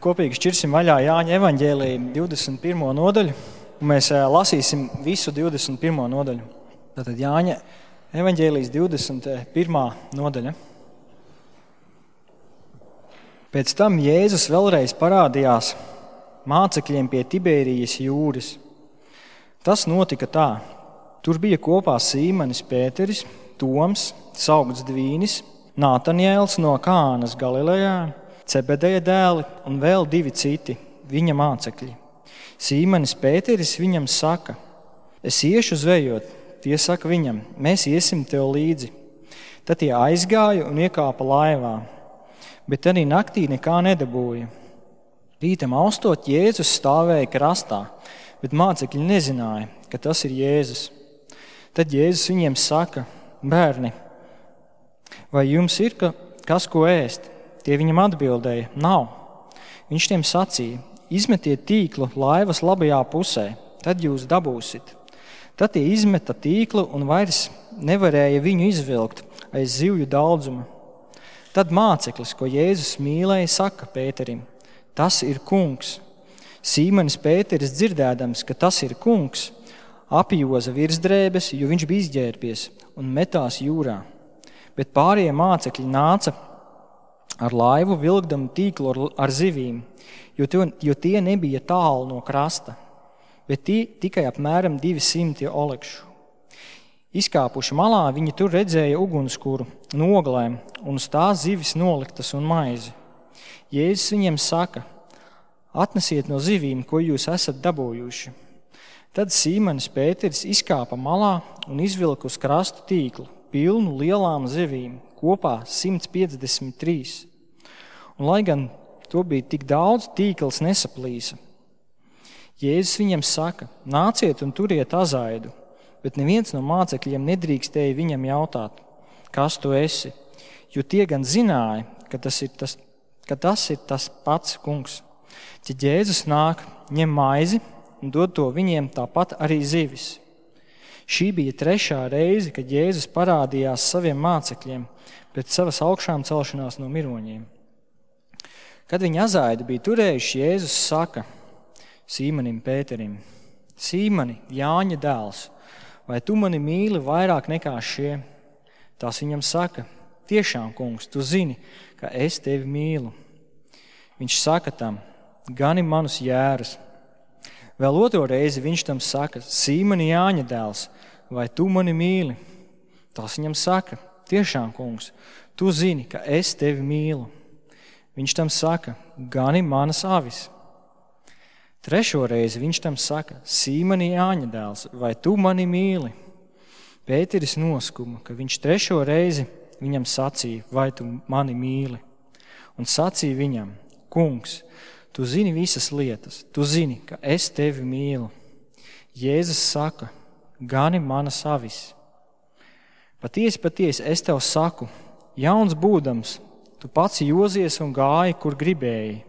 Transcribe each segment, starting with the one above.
Kopīgi šķirsim vaļā Jāņa evaņģēliju 21. nodaļu, un mēs lasīsim visu 21. nodaļu. Tātad Jāņa evaņģēlijas 21. nodaļa. Pēc tam Jēzus vēlreiz parādījās mācekļiem pie Tibērijas jūras. Tas notika tā. Tur bija kopā Sīmanis Pēteris, Toms, saukts Dvīnis, Nātanjēls no Kānas Galilejā, Cebedeja dēli un vēl 2 citi, viņa mācekļi. Sīmanis Pēteris viņam saka: es iešu zvejot. Tie saka viņam: mēs iesim tev līdzi. Tad tie aizgāja un iekāpa laivā, bet arī naktī nekā nedabūja. Rītam austot Jēzus stāvēja krastā, bet mācekļi nezināja, ka tas ir Jēzus. Tad Jēzus viņiem saka: bērni, vai jums ir kas ko ēst? Tie viņam atbildēja: nav. Viņš tiem sacīja: izmetiet tīklu laivas labajā pusē, tad jūs dabūsit. Tad tie izmeta tīklu un vairs nevarēja viņu izvilkt aiz zivju daudzuma. Tad māceklis, ko Jēzus mīlēja, saka Pēterim: tas ir kungs. Sīmanis Pēteris dzirdēdams, ka tas ir kungs, apjoza virsdrēbes, jo viņš bija izģērbies, un metās jūrā. Bet pārējie mācekļi nāca ar laivu vilkdami tīklu ar zivīm, jo tie nebija tālu no krasta, bet tikai apmēram 200 olekšu. Izkāpuši malā, viņi tur redzēja ugunskura noglēm un uz tās zivis noliktas un maizi. Jēzus viņiem saka: atnesiet no zivīm, ko jūs esat dabūjuši. Tad Sīmanis Pēteris izkāpa malā un izvilka uz krastu tīklu, pilnu lielām zivīm, kopā 153. Un lai gan to bija tik daudz, tīkls nesaplīsa. Jēzus viņiem saka: nāciet un turiet azaidu, bet neviens no mācekļiem nedrīkstēja viņam jautāt: kas tu esi? Jo tie gan zināja, ka tas ir tas pats kungs. Tad Jēzus nāk, ņem maizi un dod to viņiem, tāpat arī zivis. Šī bija 3. reize, kad Jēzus parādījās saviem mācekļiem pēc savas augšām celšanās no miroņiem. Kad viņi azaidu bija turējuši, Jēzus saka Sīmanim Pēterim: Sīmani, Jāņa dēls, vai tu mani mīli vairāk nekā šie? Tās viņam saka: tiešām, kungs, tu zini, ka es tevi mīlu. Viņš saka tam: gani manus jērus. Vēl 2. reizi viņš tam saka: Sīmani, Jāņa dēls, vai tu mani mīli? Tas viņam saka: tiešām, kungs, tu zini, ka es tevi mīlu. Viņš tam saka: gani manas avis. 3. reizi viņš tam saka: Sīmani, Jāņa dēls, vai tu mani mīli? Pēteris noskuma, ka viņš 3. reizi viņam sacīja: vai tu mani mīli? Un sacīja viņam: kungs, tu zini visas lietas, tu zini, ka es tevi mīlu. Jēzus saka: gani manas avis. Patiesi, es tev saku, jauns būdams, tu pats jozies un gāji, kur gribēji.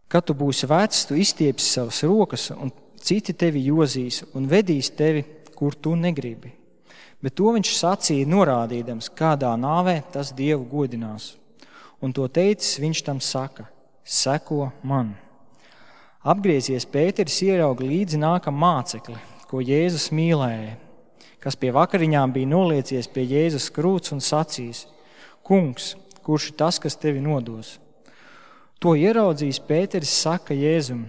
Kad tu būsi vecs, tu izstiepsi savas rokas, un citi tevi jozīs un vedīs tevi, kur tu negribi. Bet to viņš sacīja norādīdams, kādā nāvē tas Dievu godinās. Un to teicis, viņš tam saka: seko man. Apgriezies Pēteris ierauga līdzi nākam mācekli, ko Jēzus mīlēja, kas pie vakariņām bija noliecies pie Jēzus krūts un sacījis: kungs, kurš ir tas, kas tevi nodos? To ieraudzījis Pēteris saka Jēzum: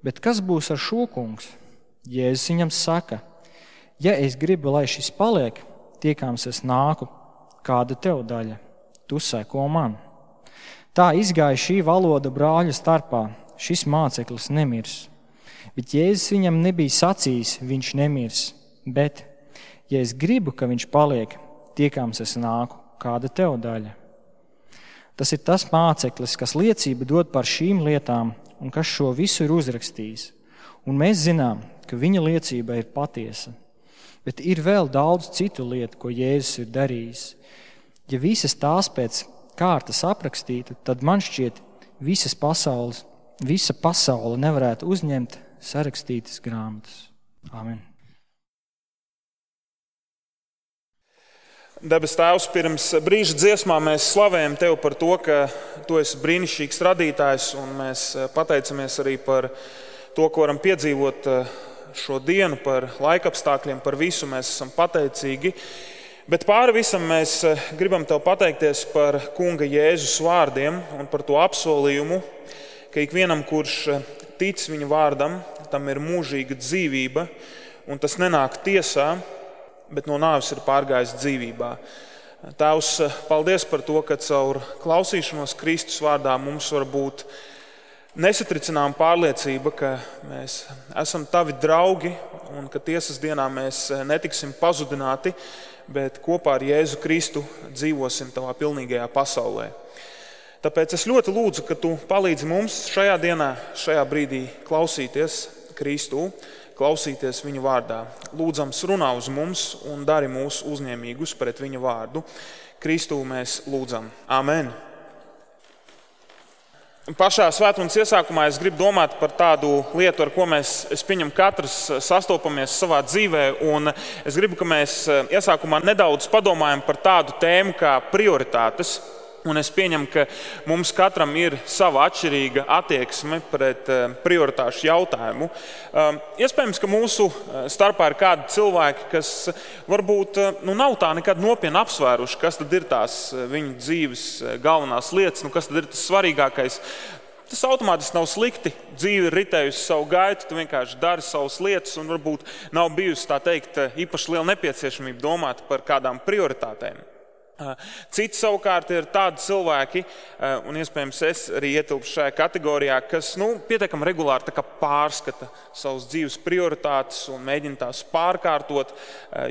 bet kas būs ar šo, kungs? Jēzus viņam saka: ja es gribu, lai šis paliek, tiekams es nāku, kāda tev daļa? Tu seko man. Tā izgāja šī valoda brāļu starpā, šis māceklis nemirs. Bet Jēzus viņam nebija sacījis, viņš nemirs, bet, ja es gribu, ka viņš paliek, tiekams es nāku, kāda tev daļa? Tas ir tas māceklis, kas liecību dod par šīm lietām un kas šo visu ir uzrakstījis. Un mēs zinām, ka viņa liecība ir patiesa. Bet ir vēl daudz citu lietu, ko Jēzus ir darījis. Ja visas tās pēc kārtas aprakstītu, tad man šķiet, visa pasaule nevarētu uzņemt sarakstītas grāmatas. Amen. Debes Tēvs, pirms brīža dziesmā mēs slavējam Tev par to, ka Tu esi brīnišķīgs radītājs, un mēs pateicamies arī par to, ko varam piedzīvot šo dienu, par laikapstākļiem, par visu mēs esam pateicīgi. Bet pāri visam mēs gribam Tev pateikties par Kunga Jēzus vārdiem un par to apsolījumu, ka ikvienam, kurš tic viņa vārdam, tam ir mūžīga dzīvība, un tas nenāk tiesā, bet no nāves ir pārgājis dzīvībā. Tēvs, paldies par to, ka caur klausīšanos Kristus vārdā mums var būt nesatricinām pārliecība, ka mēs esam Tavi draugi un ka tiesas dienā mēs netiksim pazudināti, bet kopā ar Jēzu Kristu dzīvosim Tavā pilnīgajā pasaulē. Tāpēc es ļoti lūdzu, ka Tu palīdzi mums šajā dienā, šajā brīdī klausīties Kristu, klausīties viņa vārdā. Lūdzams, runā uz mums un dari mūs uzņēmīgus pret viņa vārdu. Kristu mēs lūdzam. Amen. Pašā svētdienas iesākumā es gribu domāt par tādu lietu, ar ko es pieņemu katrs sastopamies savā dzīvē, un es gribu, ka mēs iesākumā nedaudz padomājam par tādu tēmu kā prioritātes. Un es pieņemu, ka mums katram ir sava atšķirīga attieksme pret prioritāšu jautājumu. Iespējams, ka mūsu starpā ir kādi cilvēki, kas varbūt nav tā nekad nopietni apsvēruši, kas tad ir tās viņu dzīves galvenās lietas, kas tad ir tas svarīgākais. Tas automātiski nav slikti. Dzīve ir ritējusi savu gaitu, tu vienkārši dari savas lietas un varbūt nav bijusi, tā teikt, īpaši liela nepieciešamība domāt par kādām prioritātēm. Citi savukārt ir tādi cilvēki, un iespējams es arī ietilpšu šajā kategorijā, kas pietiekami regulāri tā kā pārskata savas dzīves prioritātes un mēģina tās pārkārtot.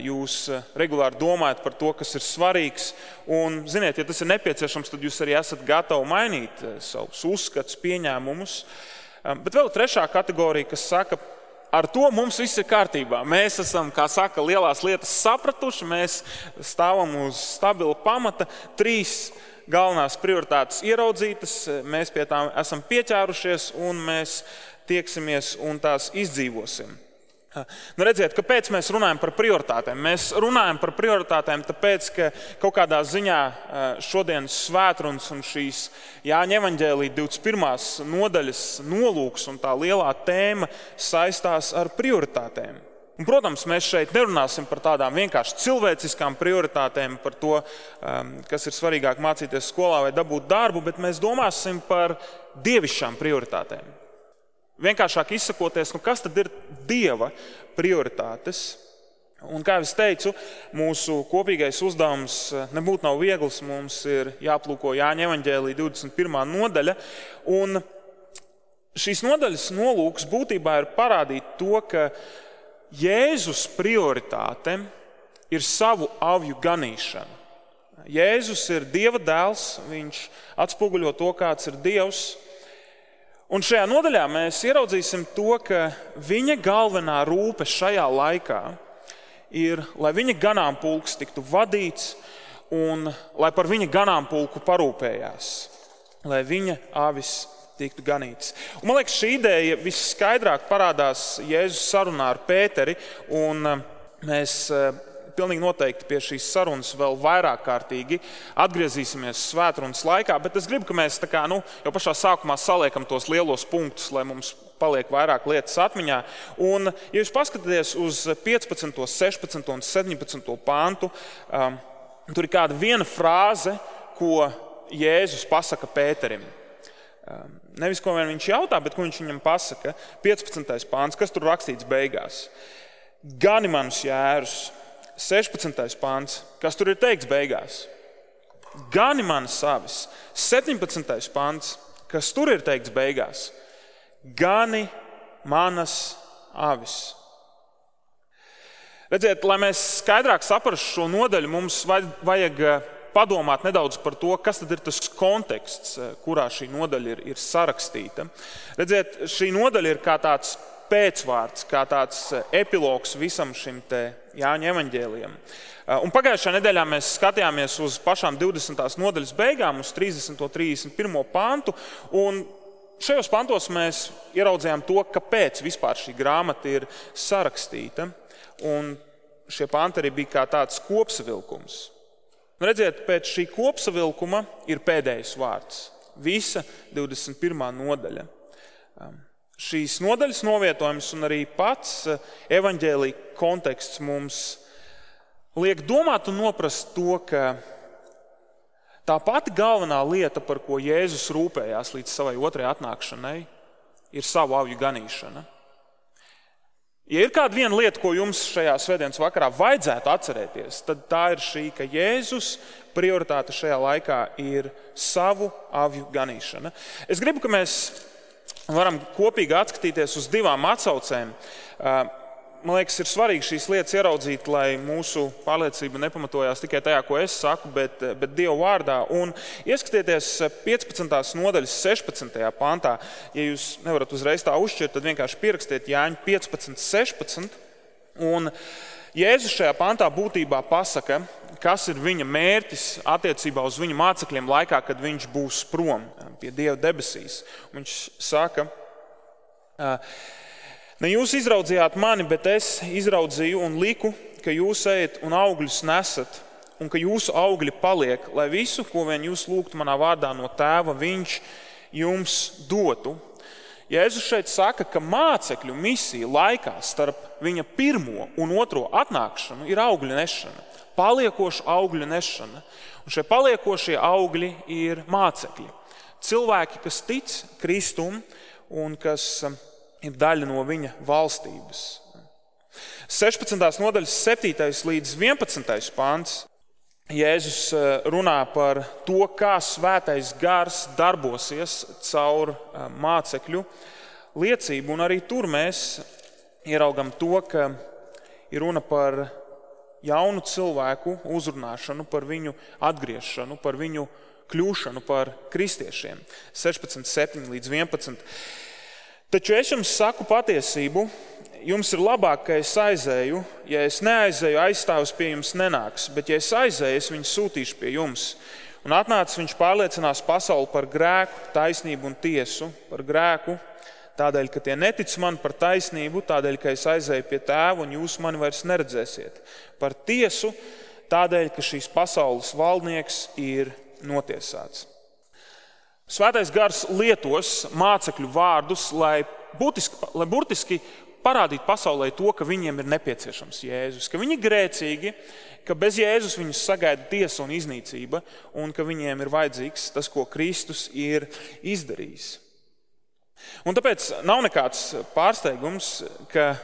Jūs regulāri domājat par to, kas ir svarīgs, un ziniet, ja tas ir nepieciešams, tad jūs arī esat gatavi mainīt savus uzskatus, pieņēmumus. Bet vēl trešā kategorija, kas saka, ar to mums viss ir kārtībā. Mēs esam, kā saka, lielās lietas sapratuši, mēs stāvam uz stabila pamata, 3 galvenās prioritātes ieraudzītas, mēs pie tām esam pieķērušies un mēs tieksimies un tās izdzīvosim. Redziet, kāpēc mēs runājam par prioritātēm? Mēs runājam par prioritātēm tāpēc, ka kaut kādā ziņā šodienas svētrunas un šīs Jāņa evaņģēlija 21. nodaļas nolūks un tā lielā tēma saistās ar prioritātēm. Un, protams, mēs šeit nerunāsim par tādām vienkārši cilvēciskām prioritātēm, par to, kas ir svarīgāk mācīties skolā vai dabūt darbu, bet mēs domāsim par dievišķām prioritātēm. Vienkāršāk izsakoties, kas tad ir Dieva prioritātes? Un, kā es teicu, mūsu kopīgais uzdevums nebūtu nav viegls. Mums ir jāplūko Jāņa evaņģēlija 21. nodaļa. Un šīs nodaļas nolūks būtībā ir parādīt to, ka Jēzus prioritāte ir savu avju ganīšana. Jēzus ir Dieva dēls, viņš atspoguļo to, kāds ir Dievs. Un šajā nodaļā mēs ieraudzīsim to, ka viņa galvenā rūpe šajā laikā ir, lai viņa ganāmpulks tiktu vadīts un lai par viņa ganāmpulku parūpējās, lai viņa avis tiktu ganītas. Un, man liekas, šī ideja visskaidrāk parādās Jēzus sarunā ar Pēteri, un mēs pilnīgi noteikti pie šīs sarunas vēl vairāk kārtīgi atgriezīsimies svētrunas laikā, bet es gribu, ka mēs jau pašā sākumā saliekam tos lielos punktus, lai mums paliek vairāk lietas atmiņā. Un, ja jūs paskatāties uz 15., 16. un 17. pāntu, tur ir kāda viena frāze, ko Jēzus pasaka Pēterim. Nevis, ko viņš jautā, bet ko viņš viņam pasaka. 15. pāns, kas tur rakstīts beigās? Gani manus jērus. 16. pāns, kas tur ir teikts beigās? Gani manas avis. 17. pāns, kas tur ir teikts beigās? Gani manas avis. Redziet, lai mēs skaidrāk saprastu šo nodaļu, mums vajag padomāt nedaudz par to, kas tad ir tas konteksts, kurā šī nodaļa ir sarakstīta. Redziet, šī nodaļa ir kā tāds pēcvārds, kā tāds epilogs visam šim te Jāņa evaņģēlijam. Un pagājušajā nedēļā mēs skatījāmies uz pašām 20. nodaļas beigām, uz 30. un 31. pantu, un šajos pantos mēs ieraudzījām to, kāpēc vispār šī grāmata ir sarakstīta, un šie panti arī bija kā tāds kopsavilkums. Redziet, pēc šī kopsavilkuma ir pēdējais vārds. Visa 21. nodaļa. Šīs nodaļas novietojums un arī pats evaņģēlija konteksts mums liek domāt un noprast to, ka tā pati galvenā lieta, par ko Jēzus rūpējās līdz savai otrajai atnākšanai, ir savu avju ganīšana. Ja ir kāda viena lieta, ko jums šajā svētdienas vakarā vajadzētu atcerēties, tad tā ir šī, ka Jēzus prioritāte šajā laikā ir savu avju ganīšana. Es gribu, ka mēs varam kopīgi atskatīties uz divām atsaucēm. Man liekas, ir svarīgi šīs lietas ieraudzīt, lai mūsu pārliecība nepamatojās tikai tajā, ko es saku, bet Dieva vārdā. Un ieskatieties 15. nodaļas 16. pantā. Ja jūs nevarat uzreiz tā uzšķirt, tad vienkārši pierakstiet Jāņa 15:16. Un Jēzus šajā pantā būtībā pasaka, kas ir viņa mērķis attiecībā uz viņa mācekļiem laikā, kad viņš būs prom pie Dieva debesīs. Viņš saka, ne jūs izraudzījāt mani, bet es izraudzīju un liku, ka jūs ejat un augļus nesat, un ka jūsu augļi paliek, lai visu, ko vien jūs lūgtu manā vārdā no tēva, viņš jums dotu. Jēzus šeit saka, ka mācekļu misija laikā starp viņa pirmo un otro atnākšanu ir augļu nešana, paliekoša augļu nešana. Un šie paliekošie augļi ir mācekļi. Cilvēki, kas tic Kristum un kas ir daļa no viņa valstības. 16. nodaļas 7. līdz 11. pants Jēzus runā par to, kā svētais gars darbosies caur mācekļu liecību. Un arī tur mēs ieraugam to, ka ir runa par jaunu cilvēku uzrunāšanu, par viņu atgriešanu, par viņu kļūšanu par kristiešiem. 16:7 līdz 11. Taču es jums saku patiesību, jums ir labāk, ka es aizēju. Ja es neaizēju, aizstāvs pie jums nenāks, bet ja es aizēju, es viņu sūtīšu pie jums. Un atnācis viņš pārliecinās pasauli par grēku, taisnību un tiesu. Par grēku, tādēļ, ka tie netic man, par taisnību, tādēļ, ka es aizēju pie tēva un jūs mani vairs neredzēsiet. Par tiesu, tādēļ, ka šīs pasaules valdnieks ir notiesāts. Svētais gars lietos mācekļu vārdus, lai burtiski parādītu pasaulē to, ka viņiem ir nepieciešams Jēzus, ka viņi ir grēcīgi, ka bez Jēzus viņus sagaida tiesa un iznīcība, un ka viņiem ir vajadzīgs tas, ko Kristus ir izdarījis. Un tāpēc nav nekāds pārsteigums, ka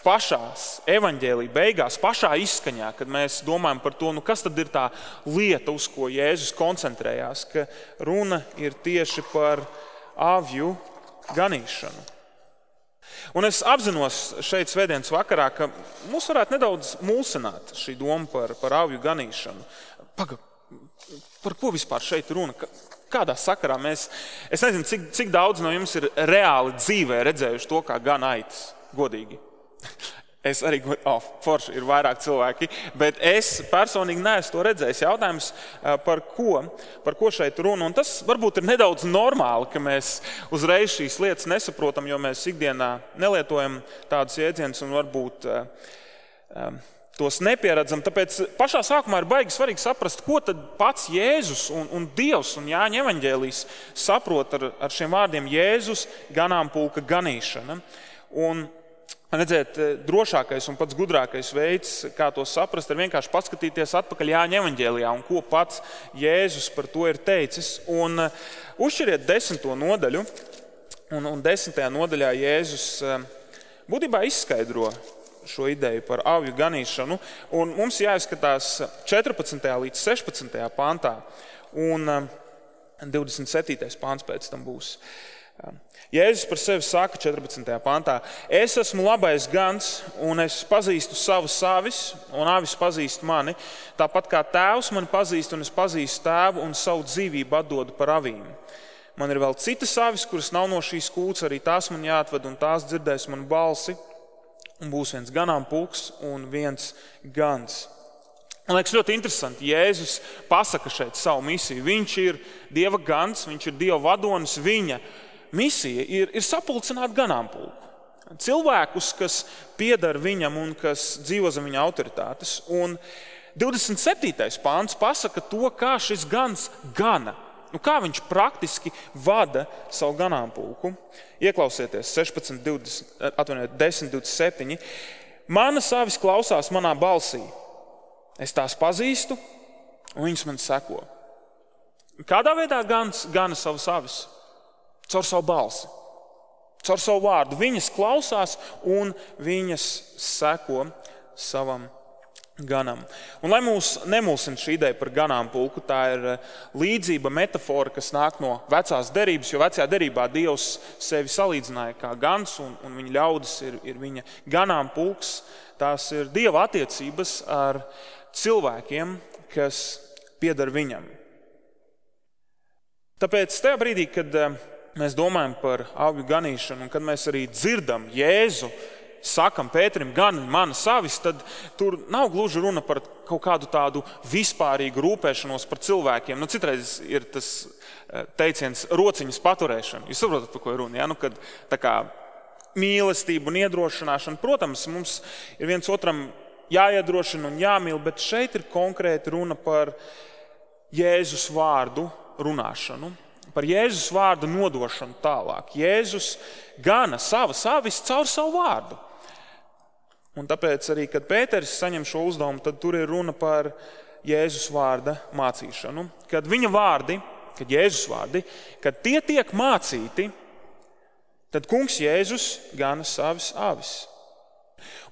pašās evaņģēlija beigās, pašā izskaņā, kad mēs domājam par to, kas tad ir tā lieta, uz ko Jēzus koncentrējās, ka runa ir tieši par avju ganīšanu. Un es apzinos šeit svētdienas vakarā, ka mūs varētu nedaudz mulsināt šī doma par avju ganīšanu. Par ko vispār šeit runa? Kādā sakarā mēs, es nezinu, cik daudz no jums ir reāli dzīvē redzējuši to, kā gan aitas, godīgi. Es arī, forši ir vairāk cilvēki, bet es personīgi neesmu to redzējis. Jautājums, par ko šeit runa. Un tas varbūt ir nedaudz normāli, ka mēs uzreiz šīs lietas nesaprotam, jo mēs ikdienā nelietojam tādus jēdzienus un varbūt tos nepieredzam. Tāpēc pašā sākumā ir baigi svarīgi saprast, ko tad pats Jēzus un Dievs un Jāņa evaņģēlijs saprot ar šiem vārdiem Jēzus ganāmpulka ganīšana. Un redziet, drošākais un pats gudrākais veids, kā to saprast, ir vienkārši paskatīties atpakaļ Jāņa evaņģēlijā un ko pats Jēzus par to ir teicis. Un uzšķiriet 10. nodaļu, un 10. nodaļā Jēzus būtībā izskaidro šo ideju par avju ganīšanu. Un mums jāizskatās 14. līdz 16. pantā, un 27. pants pēc tam būs. Jēzus par sevi saka 14. pantā: es esmu labais gans, un es pazīstu savus avis, un avis pazīst mani, tāpat kā tēvs mani pazīst, un es pazīstu tēvu, un savu dzīvību atdodu par avīm. Man ir vēl citas avis, kuras nav no šīs kūts, arī tās man jāatved, un tās dzirdēs manu balsi, un būs viens ganāmpulks un viens gans. Man liekas ļoti interesanti, Jēzus pasaka šeit savu misiju. Viņš ir Dieva gans, viņš ir Dieva vadonis, viņa misija ir sapulcināt ganāmpulku. Cilvēkus, kas pieder viņam un kas dzīvo zem viņa autoritātes. Un 27. pāns pasaka to, kā šis gans gana. Kā viņš praktiski vada savu ganāmpulku. Ieklausieties 10:27. Manas avis klausās manā balsī. Es tās pazīstu, un viņas man seko. Kādā veidā gans gana savas avis? Caur savu balsi, caur savu vārdu. Viņas klausās un viņas seko savam ganam. Un lai mūs nemulsina šī ideja par ganāmpulku, tā ir līdzība, metafora, kas nāk no vecās derības, jo vecajā derībā Dievs sevi salīdzināja kā gans, un viņa ļaudis ir viņa ganāmpulks. Tās ir Dieva attiecības ar cilvēkiem, kas pieder viņam. Tāpēc tajā brīdī, kad mēs domājam par avju ganīšanu, un kad mēs arī dzirdam Jēzu, sakam Pēterim, gan manas avis, tad tur nav gluži runa par kaut kādu tādu vispārīgu rūpēšanos par cilvēkiem. Citreiz ir tas teiciens rociņas paturēšana. Jūs saprotat, par ko ir runa? Ja? Kad tā kā mīlestība un iedrošināšana, protams, mums ir viens otram jāiedrošina un jāmīl, bet šeit ir konkrēti runa par Jēzus vārdu runāšanu, par Jēzus vārdu nodošanu tālāk. Jēzus gana savas avis caur savu vārdu. Un tāpēc arī, kad Pēteris saņem šo uzdevumu, tad tur ir runa par Jēzus vārda mācīšanu. Kad viņa vārdi, kad Jēzus vārdi, kad tie tiek mācīti, tad kungs Jēzus gana savas avis.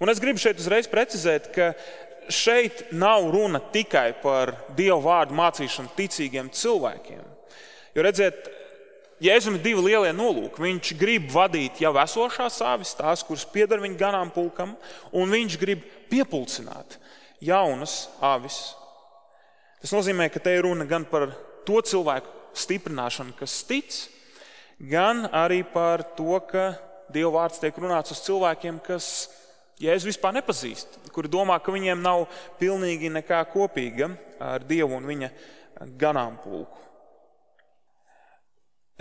Un es gribu šeit uzreiz precizēt, ka šeit nav runa tikai par Dievu vārdu mācīšanu ticīgiem cilvēkiem. Jo redziet, Jēzum ir divi lielie nolūki. Viņš grib vadīt jau esošās avis, tās, kuras pieder viņa ganāmpulkam, un viņš grib piepulcināt jaunas avis. Tas nozīmē, ka te ir runa gan par to cilvēku stiprināšanu, kas tic, gan arī par to, ka Dieva vārds tiek runāts uz cilvēkiem, kas Jēzu vispār nepazīst, kuri domā, ka viņiem nav pilnīgi nekā kopīga ar Dievu un viņa ganāmpulku.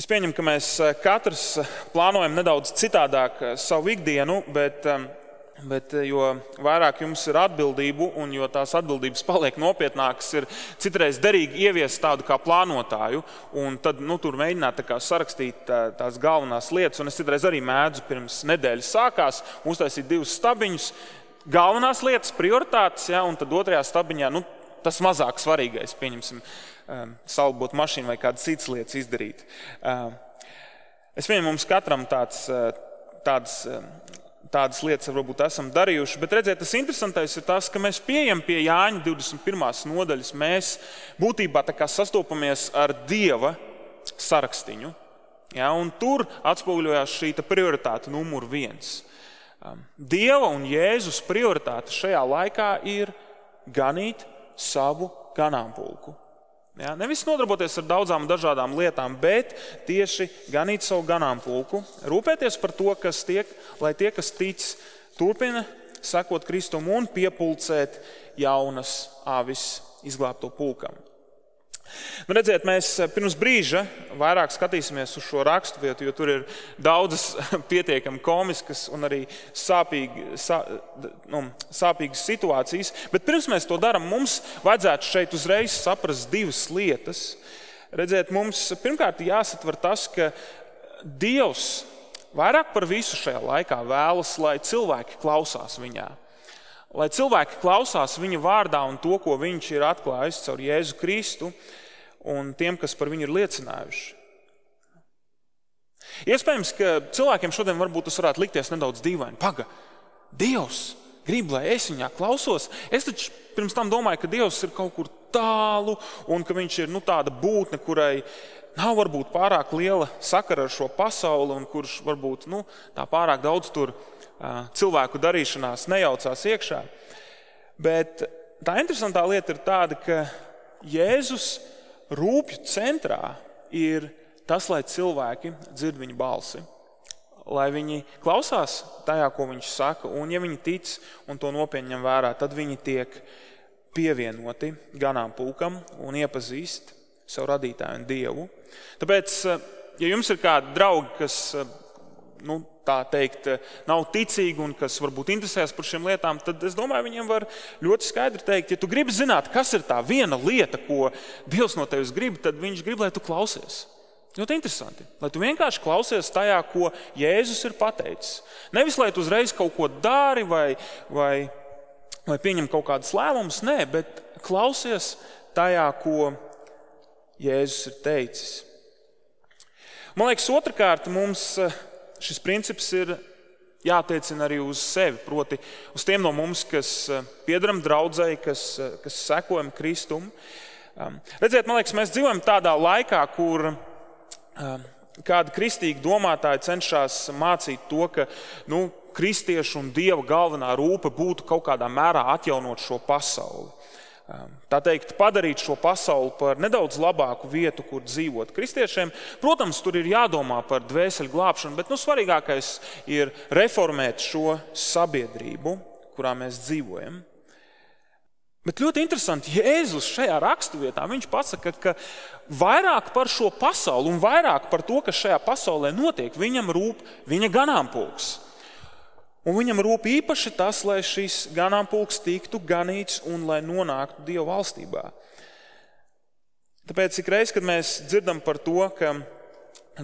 Es pieņemu, ka mēs katrs plānojam nedaudz citādāk savu ikdienu, bet jo vairāk jums ir atbildību un jo tās atbildības paliek nopietnākas, ir citreiz derīgi ieviest tādu kā plānotāju un tad tur mēģināt sarakstīt tās galvenās lietas. Un es citreiz arī mēdzu pirms nedēļas sākās uztaisīt 2 stabiņus, galvenās lietas, prioritātes, ja, un tad otrajā stabiņā tas mazāk svarīgais, pieņemsim, salbot mašīnu vai kādas citas lietas izdarīt. Es pieņemu, mums katram tādas lietas varbūt esam darījuši, bet redziet, tas interesantais ir tas, ka mēs pieejam pie Jāņa 21. nodaļas, mēs būtībā tā kā sastopamies ar Dieva sarakstiņu, ja, un tur atspoguļojās šī prioritāte numur 1. Dieva un Jēzus prioritāte šajā laikā ir ganīt savu ganāmpulku. Ja, nevis nodarboties ar daudzām dažādām lietām, bet tieši ganīt savu ganāmpulku, rūpēties par to, kas tiek, lai tie, kas tic, turpina sekot Kristum un piepulcēt jaunas avis izglābto pulkam. Redziet, mēs pirms brīža vairāk skatīsimies uz šo raksturvietu, jo tur ir daudzas pietiekami komiskas un arī sāpīgas situācijas. Bet pirms mēs to darām, mums vajadzētu šeit uzreiz saprast 2 lietas. Redziet, mums pirmkārt jāsatver tas, ka Dievs vairāk par visu šajā laikā vēlas, lai cilvēki klausās viņā. Lai cilvēki klausās viņa vārdā un to, ko viņš ir atklājis caur Jēzu Kristu un tiem, kas par viņu ir liecinājuši. Iespējams, ka cilvēkiem šodien varbūt tas varētu likties nedaudz dīvaini. Dievs grib, lai es viņā klausos. Es taču pirms tam domāju, ka Dievs ir kaut kur tālu un ka viņš ir tāda būtne, kurai nav varbūt pārāk liela sakara ar šo pasauli un kurš varbūt tā pārāk daudz tur cilvēku darīšanās nejaucās iekšā. Bet tā interesantā lieta ir tāda, ka Jēzus rūpju centrā ir tas, lai cilvēki dzird viņa balsi, lai viņi klausās tajā, ko viņš saka, un ja viņi tic un to nopietni ņem vērā, tad viņi tiek pievienoti ganāmpulkam un iepazīst savu radītāju un Dievu. Tāpēc, ja jums ir kādi draugi, kas tā teikt, nav ticīgi un kas varbūt interesēs par šiem lietām, tad es domāju, viņiem var ļoti skaidri teikt, ja tu gribi zināt, kas ir tā viena lieta, ko Dievs no tevis grib, tad viņš grib, lai tu klausies. Ļoti interesanti, lai tu vienkārši klausies tajā, ko Jēzus ir pateicis. Nevis, lai tu uzreiz kaut ko dari vai pieņem kaut kādas lēmumus, nē, bet klausies tajā, ko Jēzus ir teicis. Man liekas, otrkārt mums šis princips ir jātiecina arī uz sevi, proti uz tiem no mums, kas piedaram draudzei, kas sekojam Kristum. Redziet, man liekas, mēs dzīvojam tādā laikā, kur kādi kristīgi domātāji cenšas mācīt to, ka kristiešu un Dieva galvenā rūpe būtu kaut kādā mērā atjaunot šo pasauli. Tā teikt, padarīt šo pasauli par nedaudz labāku vietu, kur dzīvot kristiešiem. Protams, tur ir jādomā par dvēseli glābšanu, bet svarīgākais ir reformēt šo sabiedrību, kurā mēs dzīvojam. Bet ļoti interesanti, Jēzus šajā raksturvietā, viņš pasaka, ka vairāk par šo pasauli un vairāk par to, kas šajā pasaulē notiek, viņam rūp viņa ganāmpulks. Un viņam rūp īpaši tas, lai šis ganāmpulks tiktu ganīts un lai nonāktu Dieva valstībā. Tāpēc ik reiz, kad mēs dzirdam par to, ka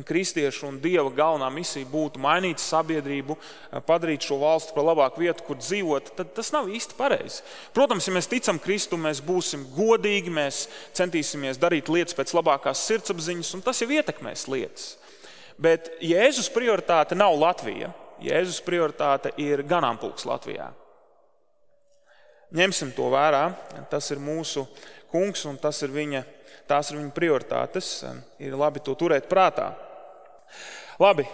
kristiešu un Dieva galvenā misija būtu mainīt sabiedrību, padarīt šo valstu par labāku vietu, kur dzīvot, tad tas nav īsti pareizi. Protams, ja mēs ticam Kristu, mēs būsim godīgi, mēs centīsimies darīt lietas pēc labākās sirdsapziņas, un tas jau ietekmēs lietas. Bet Jēzus prioritāte nav Latvija. Jēzus prioritāte ir ganāmpulks Latvijā. Ņemsim to vērā, tas ir mūsu kungs un tās ir viņa prioritātes. Ir labi to turēt prātā. Labi,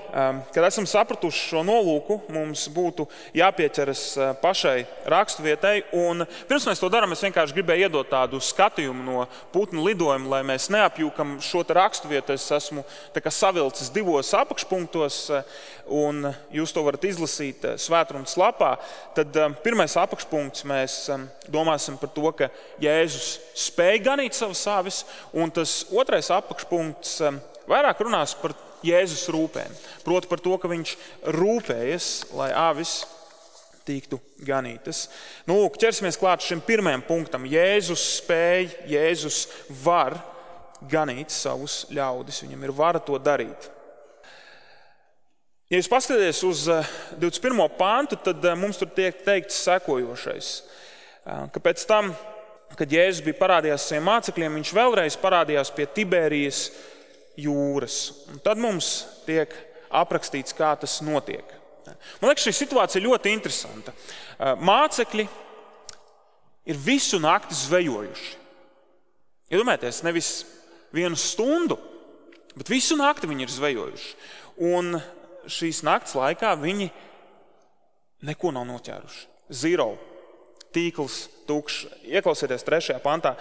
kad esam sapratuši šo nolūku, mums būtu jāpieķeras pašai raksturvietai. Un pirms mēs to darām, es vienkārši gribēju iedot tādu skatījumu no putnu lidojuma, lai mēs neapjūkam šo raksturvietu. Es esmu savilcis 2 apakšpunktos, un jūs to varat izlasīt svētrunas lapā. Tad pirmais apakšpunkts mēs domāsim par to, ka Jēzus spēja ganīt savas avis, un tas otrais apakšpunkts vairāk runās par Jēzus rūpēm. Proti par to, ka viņš rūpējas, lai avis tiktu ganītas. Lūk, ķersimies klāt šim pirmajam punktam. Jēzus spēj, Jēzus var ganīt savus ļaudis. Viņam ir vara to darīt. Ja jūs paskatāties uz 21. pāntu, tad mums tur tiek teikts sekojošais. Ka pēc tam, kad Jēzus bija parādījās saviem mācekļiem, viņš vēlreiz parādījās pie Tibērijas jūras. Un tad mums tiek aprakstīts, kā tas notiek. Man liekas, šī situācija ļoti interesanta. Mācekļi ir visu nakti zvejojuši. Iedomājieties, nevis 1 stundu, bet visu nakti viņi ir zvejojuši. Un šīs nakts laikā viņi neko nav noķēruši. Zero. Tīkls tukšs. Ieklausieties 3. pantā.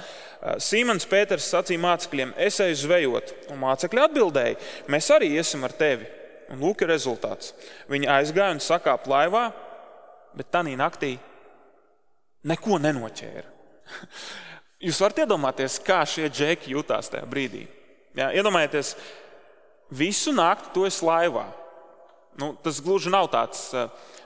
Simons Pēters sacīja mācekļiem, es eju zvejot. Un mācekļi atbildēja, mēs arī iesim ar tevi. Un lūk ir rezultāts. Viņi aizgāja un sakāpa laivā, bet tanī naktī neko nenoķēra. Jūs varat iedomāties, kā šie džeki jutās tajā brīdī. Jā, iedomājieties, visu nakti tu esi laivā. Tas gluži nav tāds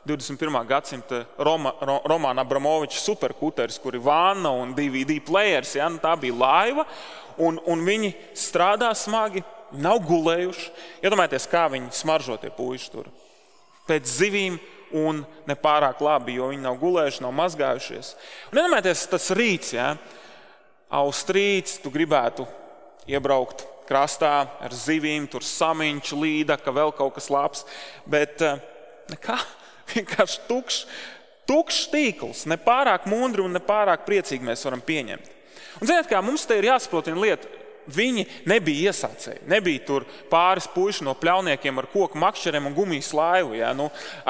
21. gadsimta Romana Abramoviča superkuteris, kur ir vanna un DVD players. Ja? Tā bija laiva, un viņi strādā smagi, nav gulējuši. Iedomājieties, kā viņi smaržo tie puiši tur. Pēc zivīm un nepārāk labi, jo viņi nav gulējuši, nav mazgājušies. Un iedomājieties, tas rīts, ja? Austrīts, tu gribētu iebraukt krastā ar zivīm, tur samiņš, līdaka, vēl kaut kas labs, bet nekā, vienkārši tukšs tīkls, nepārāk mundri un nepārāk priecīgi mēs varam pieņemt. Un ziniet kā, mums te ir jāsaprot viena lieta, viņi nebija iesācēji, nebija tur pāris puiši no pļauniekiem ar koku makšķeriem un gumijas laivu, ja?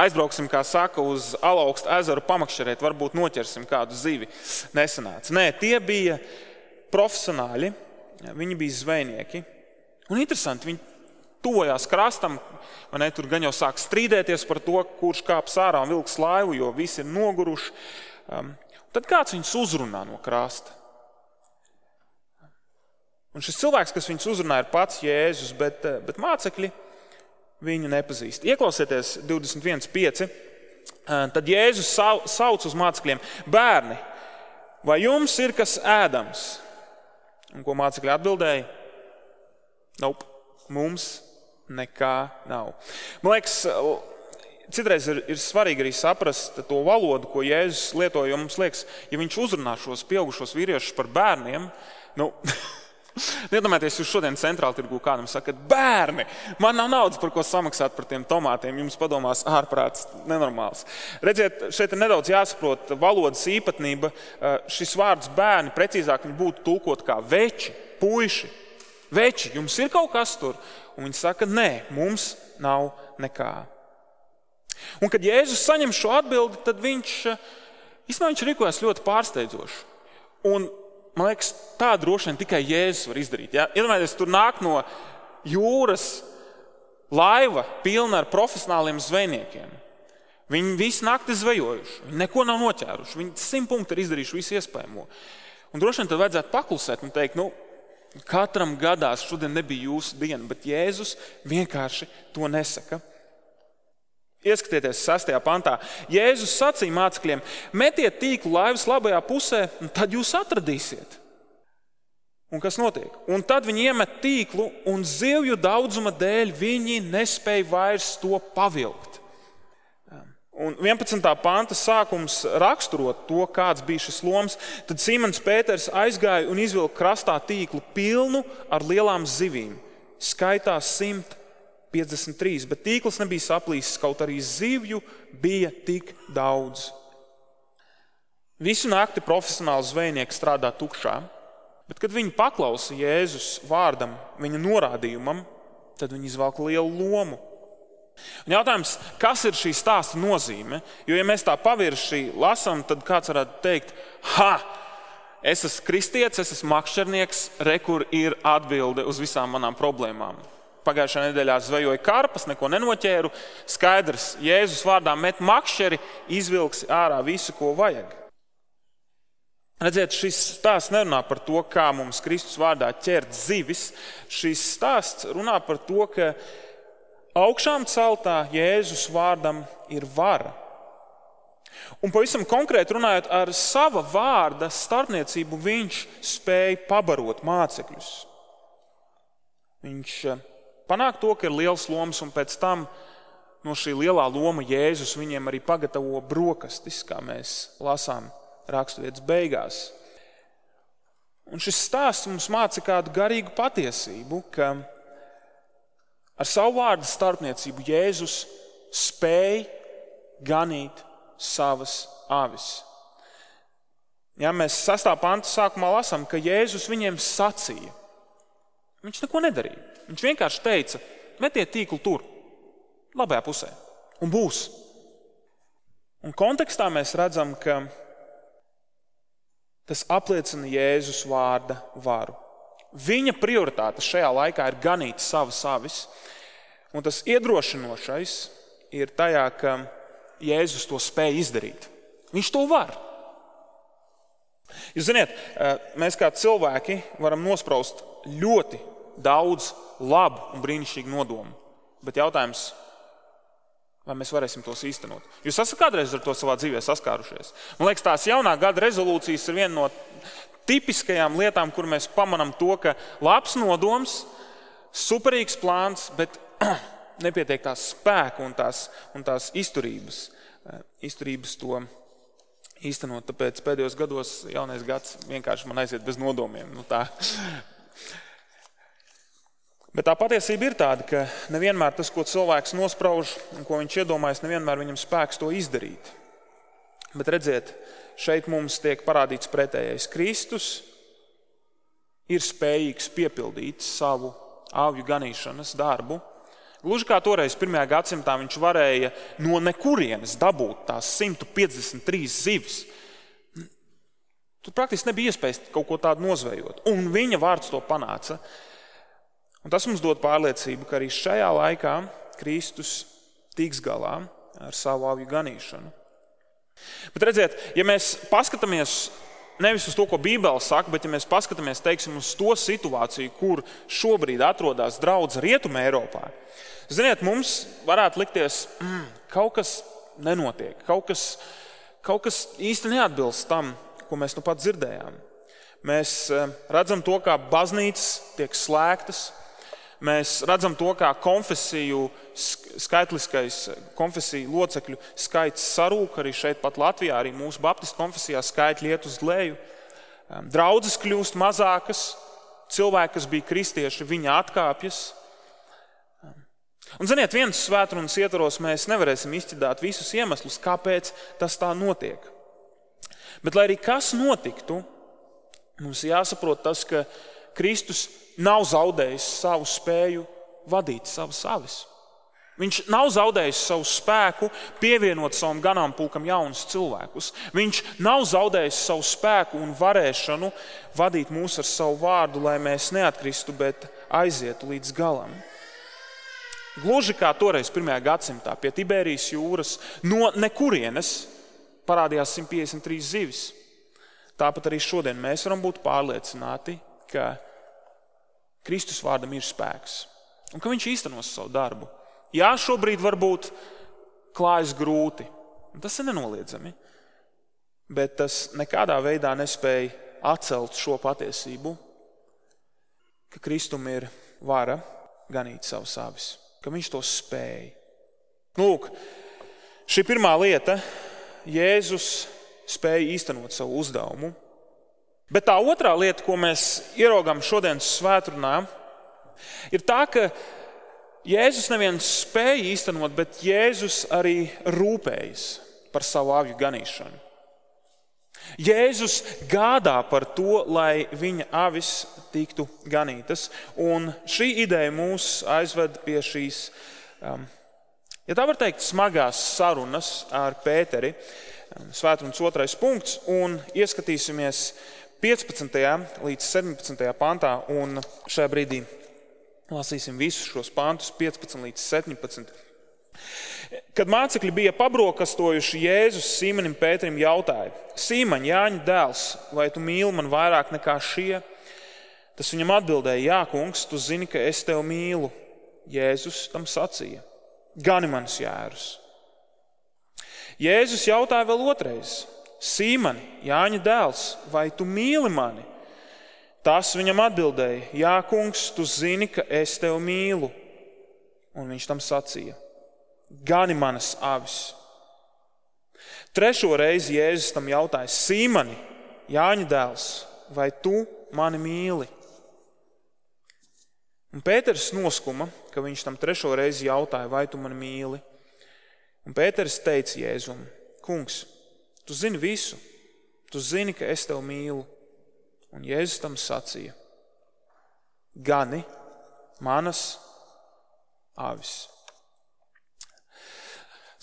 Aizbrauksim, kā saka, uz Alaukstu ezeru pamakšķerēt, varbūt noķersim kādu zivi, nesanāca. Nē, tie bija profesionāļi, viņi bija zvejnieki. Un interesanti, viņi tuvojās krastam, tur gan jau sāk strīdēties par to, kurš kāps ārā un vilks laivu, jo visi ir noguruši. Tad kāds viņus uzrunā no krasta? Un šis cilvēks, kas viņus uzrunā, ir pats Jēzus, bet mācekļi, viņu nepazīst. Ieklausieties 21.5. Tad Jēzus sauc uz mācekļiem: bērni, vai jums ir kas ēdams? Un ko mācekļi atbildēja? Nope, mums nekā nav. Man liekas, citreiz ir svarīgi arī saprast to valodu, ko Jēzus lietoja, jo mums liekas, ja viņš uzrunā šos pieaugušos vīriešus par bērniem, iedomājieties, jūs šodien centrāla tirgū kādam sakat: bērni, man nav naudas, par ko samaksāt par tiem tomātiem. Jums padomās ārprāts, nenormāls. Redziet, šeit ir nedaudz jāsaprot valodas īpatnība. Šis vārds bērni, precīzāk viņi būtu tulkot kā veči, puiši. Veči, jums ir kaut kas tur? Un viņi saka: nē, mums nav nekā. Un kad Jēzus saņem šo atbildi, tad viņš rīkojas ļoti pārsteidzoši. Un man liekas, tā droši vien tikai Jēzus var izdarīt. Ja? Iedomājieties, tur nāk no jūras laiva pilna ar profesionāliem zvejniekiem. Viņi visu nakti zvejojuši, viņi neko nav noķēruši, viņi 100 punktu ir izdarījuši visu iespējamo. Un droši vien tad vajadzētu paklusēt un teikt: katram gadās, šodien nebija jūsu diena, bet Jēzus vienkārši to nesaka. Ieskatieties 6. pantā. Jēzus sacīja mācekļiem: metiet tīklu laivas labajā pusē, un tad jūs atradīsiet. Un kas notiek? Un tad viņi iemet tīklu, un zivju daudzuma dēļ viņi nespēja vairs to pavilkt. Un 11. panta sākums raksturot to, kāds bija šis loms. Tad Simons Pēters aizgāja un izvilka krastā tīklu pilnu ar lielām zivīm. Skaitā 153, bet tīkls nebija saplīsis, kaut arī zivju bija tik daudz. Visu nakti profesionāli zvejnieki strādā tukšā, bet kad viņi paklausa Jēzus vārdam, viņa norādījumam, tad viņi izvelka lielu lomu. Un jautājums, kas ir šī stāsta nozīme? Jo, ja mēs tā pavirši lasām, tad kāds varētu teikt: es esmu kristietis, es esmu makšķernieks, kur ir atbilde uz visām manām problēmām. Pagājušajā nedēļā zvejoju karpas, neko nenoķēru. Skaidrs, Jēzus vārdā met makšķeri, izvilksi ārā visu, ko vajag. Redziet, šis stāsts nerunā par to, kā mums Kristus vārdā ķert zivis. Šis stāsts runā par to, ka augšām celtā Jēzus vārdam ir vara. Un pavisam konkrēti runājot, ar sava vārda starpniecību viņš spēja pabarot mācekļus. Viņš panāk to, ka ir liels loms, un pēc tam no šī lielā loma Jēzus viņiem arī pagatavo brokastis, kā mēs lasām raksturvietas beigās. Un šis stāsts mums māca kādu garīgu patiesību, ka ar savu vārdu starpniecību Jēzus spēj ganīt savas avis. Ja mēs 6. panta sākumā lasām, ka Jēzus viņiem sacīja. Viņš neko nedarīja. Viņš vienkārši teica: metiet tīklu tur, labajā pusē, un būs. Un kontekstā mēs redzam, ka tas apliecina Jēzus vārda varu. Viņa prioritāte šajā laikā ir ganīt savas avis, un tas iedrošinošais ir tajā, ka Jēzus to spēj izdarīt. Viņš to var. Jūs ziniet, mēs kā cilvēki varam nospraust ļoti daudz labu un brīnišķīgu nodomu, bet jautājums, vai mēs varēsim tos īstenot? Jūs esat kādreiz ar to savā dzīvē saskārušies? Man liekas, tās jaunā gada rezolūcijas ir viena no tipiskajām lietām, kur mēs pamanām to, ka labs nodoms, superīgs plāns, bet nepietiek tās spēka un tās izturības to īstenot. Tāpēc pēdējos gados jaunais gads vienkārši man aiziet bez nodomiem. Bet tā patiesība ir tāda, ka nevienmēr tas, ko cilvēks nosprauž un ko viņš iedomājas, nevienmēr viņam spēks to izdarīt. Bet redziet, šeit mums tiek parādīts pretējais. Kristus ir spējīgs piepildīt savu avju ganīšanas darbu. Gluži kā toreiz 1. gadsimtā viņš varēja no nekurienes dabūt tās 153 zivis. Tur praktiski nebija iespējas kaut ko tādu nozvejot. Un viņa vārds to panāca. Un tas mums dod pārliecību, ka arī šajā laikā Kristus tiks galā ar savu avju ganīšanu. Bet redziet, ja mēs paskatāmies nevis uz to, ko Bībele saka, bet ja mēs paskatāmies, teiksim, uz to situāciju, kur šobrīd atrodas draudze Rietumē Eiropā, ziniet, mums varētu likties, kaut kas nenotiek, kaut kas īsti neatbilst tam, ko mēs nu pat dzirdējām. Mēs redzam to, kā baznīcas tiek slēgtas, mēs redzam to, kā konfesiju locekļu skaits sarūk, arī šeit pat Latvijā, arī mūsu baptistu konfesijā skaitļi iet uz leju. Draudzes kļūst mazākas, cilvēki, kas bija kristieši, viņi atkāpjas. Un, ziniet, vienas svētrunas ietvaros mēs nevarēsim izķidāt visus iemeslus, kāpēc tas tā notiek. Bet, lai arī kas notiktu, mums jāsaprot tas, ka Kristus nav zaudējis savu spēju vadīt savas avis. Viņš nav zaudējis savu spēku pievienot savam ganāmpulkam jaunus cilvēkus. Viņš nav zaudējis savu spēku un varēšanu vadīt mūs ar savu vārdu, lai mēs neatkristu, bet aizietu līdz galam. Gluži kā toreiz 1. gadsimtā pie Tibērijas jūras no nekurienes parādījās 153 zivis. Tāpat arī šodien mēs varam būt pārliecināti, ka Kristus vārdam ir spēks un ka viņš īstenos savu darbu. Jā, šobrīd varbūt klājas grūti, un tas ir nenoliedzami, bet tas nekādā veidā nespēja atcelt šo patiesību, ka Kristum ir vara ganīt savas avis, ka viņš to spēja. Lūk, šī pirmā lieta, Jēzus spēja īstenot savu uzdevumu. Bet tā otrā lieta, ko mēs ieraugām šodienas svētrunā, ir tā, ka Jēzus nevien spēja īstenot, bet Jēzus arī rūpējas par savu avju ganīšanu. Jēzus gādā par to, lai viņa avis tiktu ganītas, un šī ideja mūs aizved pie šīs, ja tā var teikt, smagās sarunas ar Pēteri, svētrunas 2. punkts, un ieskatīsimies 15. līdz 17. pantā, un šajā brīdī lasīsim visus šos pantus 15 līdz 17. Kad mācekļi bija pabrokastojuši, Jēzus Sīmanim Pēterim jautāja: Sīmaņ, Jāņa dēls, vai tu mīli man vairāk nekā šie? Tas viņam atbildēja: Jā, kungs, tu zini, ka es tevi mīlu. Jēzus tam sacīja: Gani manis jērus. Jēzus jautāja vēl otrais: Sīmani, Jāņa dēls, vai tu mīli mani? Tas viņam atbildēja: Jā, kungs, tu zini, ka es tevi mīlu. Un viņš tam sacīja: Gani manas avis. Trešo reizi Jēzus tam jautāja: Sīmani, Jāņa dēls, vai tu mani mīli? Un Pēters noskuma, ka viņš tam trešo reizi jautāja: Vai tu mani mīli? Un Pēters teica Jēzum: Kungs, tu zini visu, tu zini, ka es tevi mīlu. Un Jēzus tam sacīja: Gani manas avis.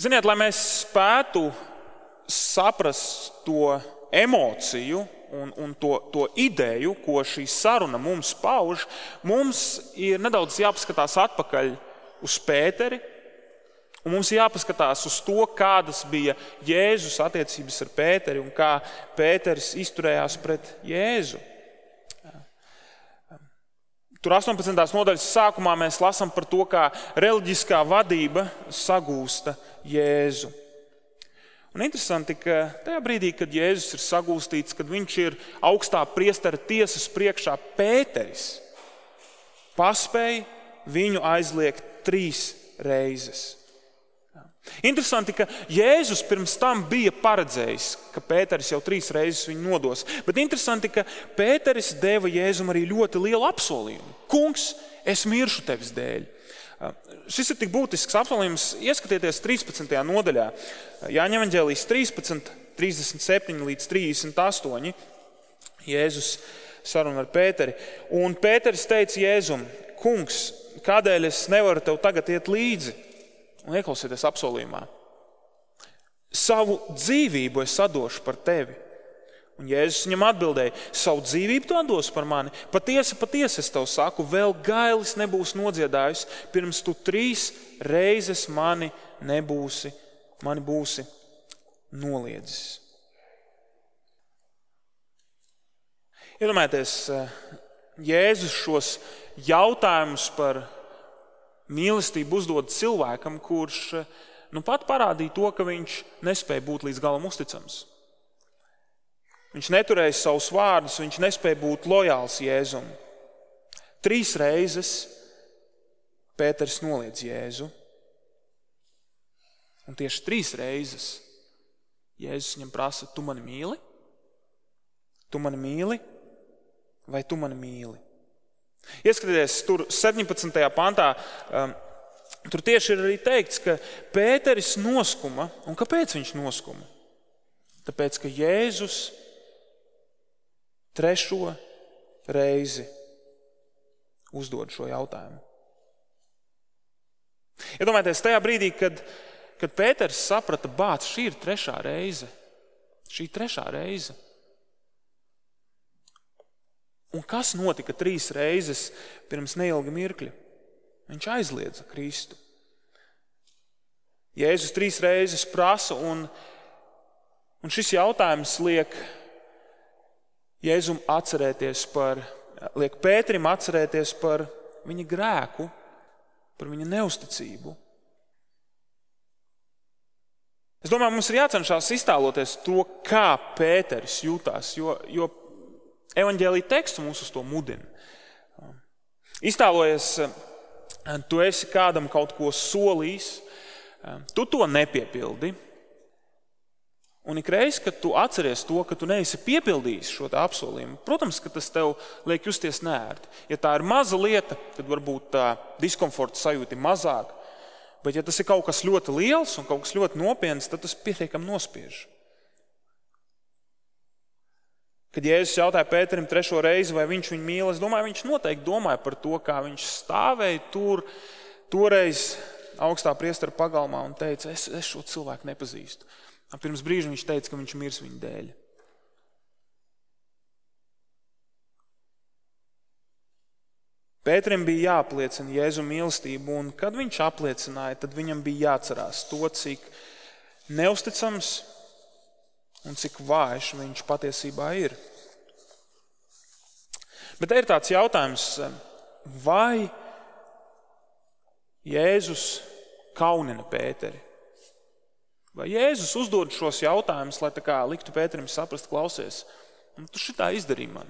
Ziniet, lai mēs spētu saprast to emociju un to ideju, ko šī saruna mums pauž, mums ir nedaudz jāpaskatās atpakaļ uz Pēteri, un mums jāpaskatās uz to, kādas bija Jēzus attiecības ar Pēteri un kā Pēteris izturējās pret Jēzu. Tur 18. nodaļas sākumā mēs lasām par to, kā reliģiskā vadība sagūsta Jēzu. Un interesanti, ka tajā brīdī, kad Jēzus ir sagūstīts, kad viņš ir augstā priestera tiesas priekšā, Pēteris paspēja viņu aizliegt 3 reizes. Interesanti, ka Jēzus pirms tam bija paredzējis, ka Pēteris jau 3 reizes viņu nodos. Bet interesanti, ka Pēteris deva Jēzum arī ļoti lielu apsolījumu. Kungs, es miršu tevis dēļ. Šis ir tik būtisks apsolījums. Ieskatieties 13. nodaļā. Jāņa evaņģēlijas 13, 37 līdz 38. Jēzus saruna ar Pēteri. Un Pēteris teica Jēzum: Kungs, kādēļ es nevaru tev tagad iet līdzi? Un ieklausieties apsolījumā: savu dzīvību es atdošu par tevi. Un Jēzus viņam atbildēja: savu dzīvību tu atdos par mani? Patiesi, patiesi es tev saku, vēl gailis nebūs nodziedājis, pirms tu 3 reizes mani būsi noliedzis. Iedomājieties, Jēzus šos jautājumus par mīlestību uzdod cilvēkam, kurš pat parādīja to, ka viņš nespēja būt līdz galam uzticams. Viņš neturēja savus vārdus, viņš nespēja būt lojāls Jēzum. 3 reizes Pēters noliedz Jēzu. Un tieši 3 reizes Jēzus viņam prasa, tu mani mīli? Tu mani mīli? Vai tu mani mīli? Ieskatieties, tur 17. pantā, tur tieši ir arī teikts, ka Pēteris noskuma. Un kāpēc viņš noskuma? Tāpēc, ka Jēzus 3. reizi uzdod šo jautājumu. Iedomājieties, tajā brīdī, kad Pēters saprata, bāc, šī ir 3. reize. Šī 3. reize. Un kas notika 3 reizes pirms neilga mirkļa? Viņš aizliedza Kristu. Jēzus 3 reizes prasa, un šis jautājums liek Pēterim atcerēties par viņa grēku, par viņa neusticību. Es domāju, mums ir jācenšas iztēloties to, kā Pēteris jutās, jo evaņģēlija teksts mūs uz to mudina. Iztēlojies, tu esi kādam kaut ko solījis, tu to nepiepildi, un ikreiz, kad tu atceries to, ka tu neesi piepildījis šo apsolījumu, protams, ka tas tev liek justies neērti. Ja tā ir maza lieta, tad varbūt tā diskomforta sajūta ir mazāk, bet ja tas ir kaut kas ļoti liels un kaut kas ļoti nopietns, tad tas pietiekami nospiež. Kad Jēzus jautāja Pēterim 3. reizi, vai viņš viņu mīl, es domāju, viņš noteikti domāja par to, kā viņš stāvēja tur, toreiz augstā priestera pagalmā un teica, es šo cilvēku nepazīstu. Pirms brīža viņš teica, ka viņš mirs viņa dēļ. Pēterim bija jāapliecina Jēzu mīlestību, un kad viņš apliecināja, tad viņam bija jāatcerās to, cik neusticams un cik vājš viņš patiesībā ir. Bet ir tāds jautājums, vai Jēzus kaunina Pēteri? Vai Jēzus uzdod šos jautājumus, lai tā kā liktu Pēterim saprast, klausies, tu šitā izdarīji man?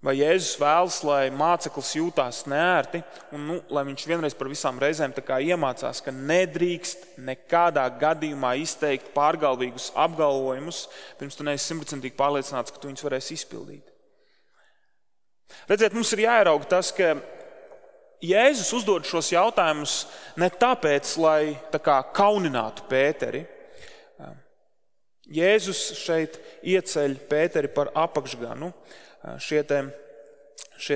Vai Jēzus vēlas, lai māceklis jūtās neērti, un lai viņš vienreiz par visām reizēm tā kā iemācās, ka nedrīkst nekādā gadījumā izteikt pārgalvīgus apgalvojumus, pirms tu neesi 100% pārliecināts, ka tu viņus varēsi izpildīt? Redziet, mums ir jāierauga tas, ka Jēzus uzdod šos jautājumus ne tāpēc, lai tā kā kauninātu Pēteri. Jēzus šeit ieceļ Pēteri par apakšganu. Šie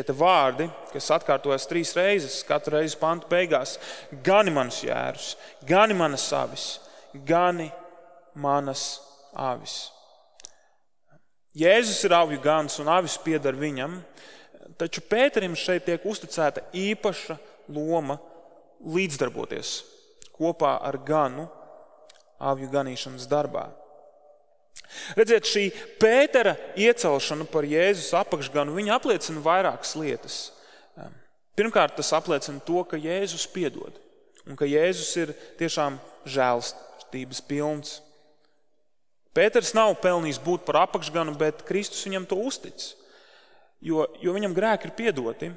te vārdi, kas atkārtojas 3 reizes, katru reizi pantu beigās, gani manus jērus, gani manas avis, gani manas avis. Jēzus ir avju gans un avis pieder viņam, taču Pēterim šeit tiek uzticēta īpaša loma līdzdarboties kopā ar ganu avju ganīšanas darbā. Redziet, šī Pētera iecelšana par Jēzus apakšganu, viņa apliecina vairākas lietas. Pirmkārt, tas apliecina to, ka Jēzus piedod un ka Jēzus ir tiešām žēlstības pilns. Pēters nav pelnījis būt par apakšganu, bet Kristus viņam to uztic. Jo viņam grēki ir piedoti,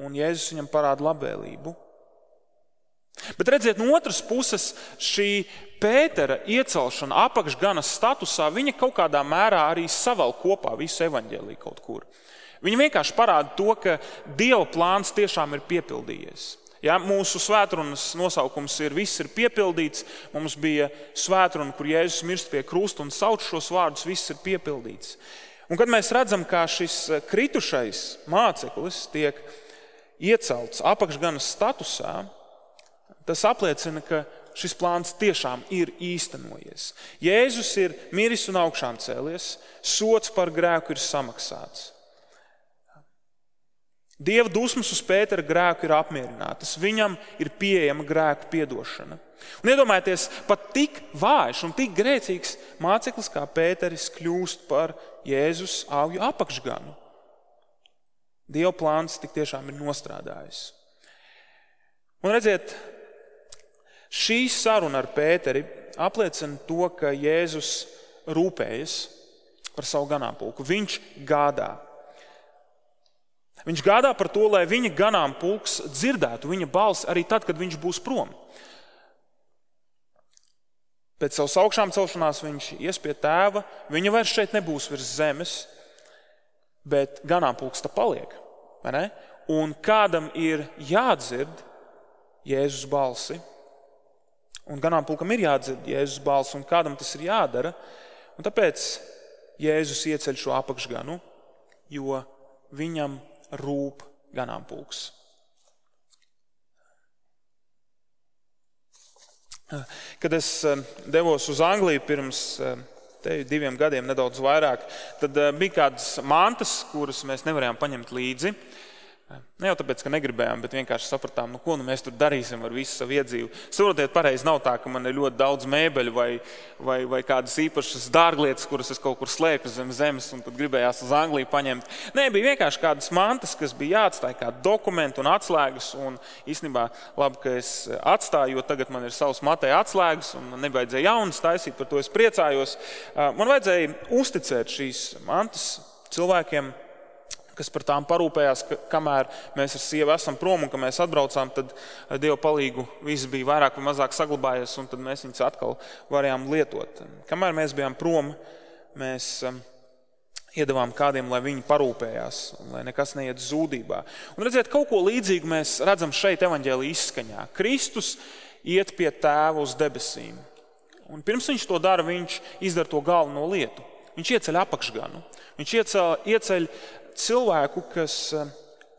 un Jēzus viņam parāda labvēlību. Bet redziet, no otras puses, šī Pētera iecelšana apakšganas statusā, viņa kaut kādā mērā arī savelk kopā visu evaņģēliju kaut kur. Viņa vienkārši parāda to, ka Dieva plāns tiešām ir piepildījies. Ja, mūsu svētrunas nosaukums ir viss ir piepildīts, mums bija svētruna, kur Jēzus mirst pie krusta un sauc šos vārdus, viss ir piepildīts. Un kad mēs redzam, kā šis kritušais māceklis tiek iecelts apakšganas statusā, tas apliecina, ka šis plāns tiešām ir īstenojies. Jēzus ir miris un augšām cēlies, sods par grēku ir samaksāts. Dieva dusmas uz Pētera grēku ir apmierinātas. Viņam ir pieejama grēku piedošana. Un iedomājieties, pat tik vājš un tik grēcīgs māceklis kā Pēteris kļūst par Jēzus augļu apakšganu. Dieva plāns tik tiešām ir nostrādājis. Un redziet, šī saruna ar Pēteri apliecina to, ka Jēzus rūpējas par savu ganāmpulku. Viņš gādā. Viņš gādā par to, lai viņa ganāmpulks dzirdētu viņa balsi arī tad, kad viņš būs prom. Pēc savas augšām celšanās viņš ies pie tēva, viņa vairs šeit nebūs virs zemes, bet ganāmpulks tā paliek. Vai ne? Un kādam ir jādzird Jēzus balsi, un ganāmpulkam ir jādzird Jēzus balsi, un kādam tas ir jādara, un tāpēc Jēzus ieceļ šo apakšganu, jo viņam rūp ganāmpulks. Kad es devos uz Angliju pirms 2 gadiem, nedaudz vairāk, tad bija kādas mantas, kuras mēs nevarējām paņemt līdzi. Ne jau tāpēc, ka negribējām, bet vienkārši sapratām, ko mēs tur darīsim ar visu savu iedzīvu. Saprotiet, pareizi nav tā, ka man ir ļoti daudz mēbeļu vai kādas īpašas dārglietas, kuras es kaut kur slēpju zem zemes, un tad gribējās uz Angliju paņemt. Nē, bija vienkārši kādas mantas, kas bija jāatstāj kā dokumenti un atslēgas, un īstenībā labi, ka es atstāju, jo tagad man ir savs matēja atslēgas, un man nevajadzēja jaunas taisīt, par to es priecājos. Man vajadzēja uzticēt šīs mantas cilvēkiem, kas par tām parūpējās, kamēr mēs ar sievu esam prom un ka mēs atbraucām, tad Dieva palīgu viss bija vairāk vai mazāk saglabājies, un tad mēs viņus atkal varējām lietot. Kamēr mēs bijām prom, mēs iedavām kādiem, lai viņi parūpējās, lai nekas neiet zūdībā. Un redziet, kaut ko līdzīgu mēs redzam šeit evaņģēlija izskaņā. Kristus iet pie tēva uz debesīm. Un pirms viņš to dara, viņš izdara to galveno lietu. Viņš ieceļ apakšganu. Viņš ieceļ cilvēku, kas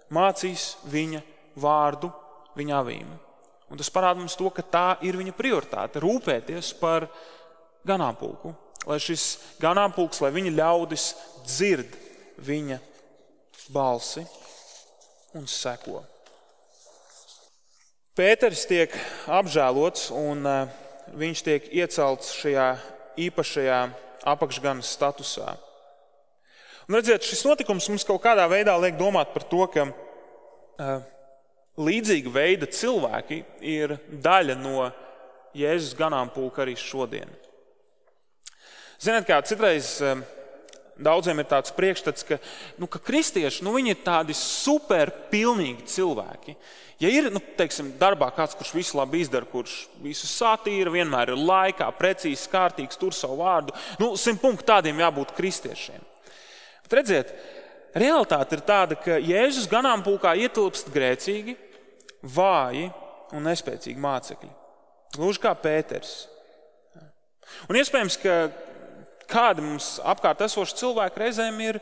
mācīs viņa vārdu viņa avīm. Un tas parāda mums to, ka tā ir viņa prioritāte, rūpēties par ganāmpulku. Lai šis ganāmpulks, lai viņa ļaudis dzird viņa balsi un seko. Pēteris tiek apžēlots un viņš tiek iecelts šajā īpašajā apakšganas statusā. Un redziet, šis notikums mums kaut kādā veidā liek domāt par to, ka līdzīga veida cilvēki ir daļa no Jēzus ganāmpulka arī šodien. Ziniet, kā citreiz daudziem ir tāds priekšstats, ka kristieši, viņi ir tādi super pilnīgi cilvēki. Ja ir, teiksim, darbā kāds, kurš visu labi izdara, kurš visu satīra, vienmēr ir laikā, precīzi, kārtīgs, tur savu vārdu, 100 punktu tādiem jābūt kristiešiem. Bet redziet, realitāte ir tāda, ka Jēzus ganāmpulkā ietilpst grēcīgi, vāji un nespēcīgi mācekļi. Gluži kā Pēteris. Un iespējams, ka kādi mums apkārt esoši cilvēki reizēm ir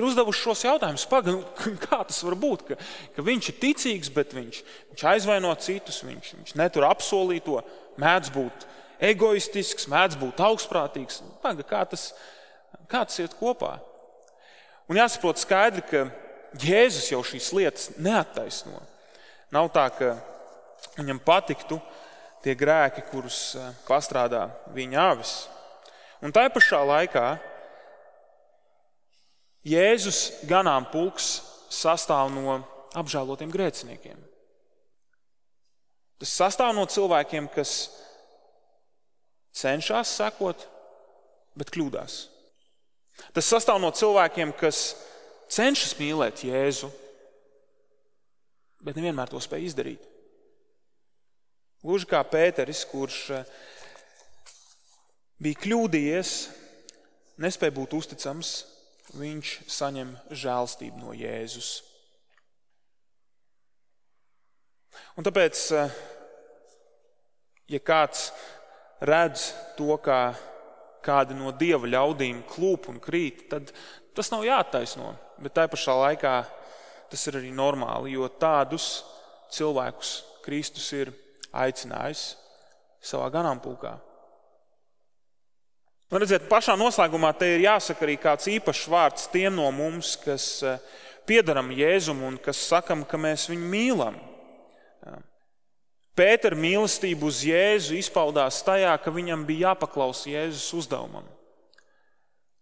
uzdevuši šos jautājumus. Kā tas var būt, ka viņš ir ticīgs, bet viņš aizvaino citus, viņš netur apsolīto, mēdz būt egoistisks, mēdz būt augstprātīgs. Kā tas iet kopā? Un jāsaprot skaidri, ka Jēzus jau šīs lietas neattaisno. Nav tā, ka viņam patiktu tie grēki, kurus pastrādā viņa avis. Un tai pašā laikā Jēzus ganāmpulks sastāv no apžēlotiem grēciniekiem. Tas sastāv no cilvēkiem, kas cenšas sekot, bet kļūdās. Tas sastāv no cilvēkiem, kas cenšas mīlēt Jēzu, bet nevienmēr to spēj izdarīt. Gluži kā Pēteris, kurš bija kļūdījies, nespēja būt uzticams, viņš saņem žēlstību no Jēzus. Un tāpēc, ja kāds redz to, kā kādi no Dieva ļaudīm klūp un krīt, tad tas nav jāattaisno, bet tai pašā laikā tas ir arī normāli, jo tādus cilvēkus Kristus ir aicinājis savā ganāmpulkā. Un redziet, pašā noslēgumā te ir jāsaka arī kāds īpašs vārds tiem no mums, kas piederam Jēzum un kas sakam, ka mēs viņu mīlam. Pētera mīlestība uz Jēzu izpaudās tajā, ka viņam bija jāpaklausa Jēzus uzdevumam.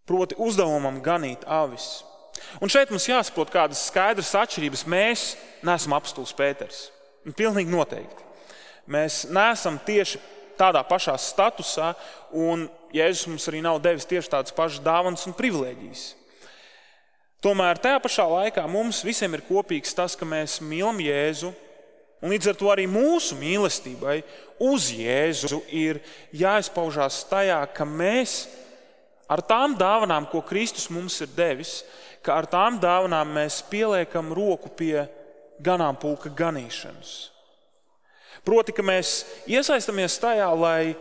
Proti uzdevumam ganīt avis. Un šeit mums jāsaprot kādas skaidras atšķirības. Mēs neesam apostols Pēters. Pilnīgi noteikti. Mēs neesam tieši tādā pašā statusā, un Jēzus mums arī nav devis tieši tādas pašas dāvanas un privilēģijas. Tomēr tajā pašā laikā mums visiem ir kopīgs tas, ka mēs mīlam Jēzu, un līdz ar to arī mūsu mīlestībai uz Jēzu ir jāizpaužās tajā, ka mēs ar tām dāvanām, ko Kristus mums ir devis, ka ar tām dāvanām mēs pieliekam roku pie ganāmpulka ganīšanas. Proti, ka mēs iesaistamies tajā, lai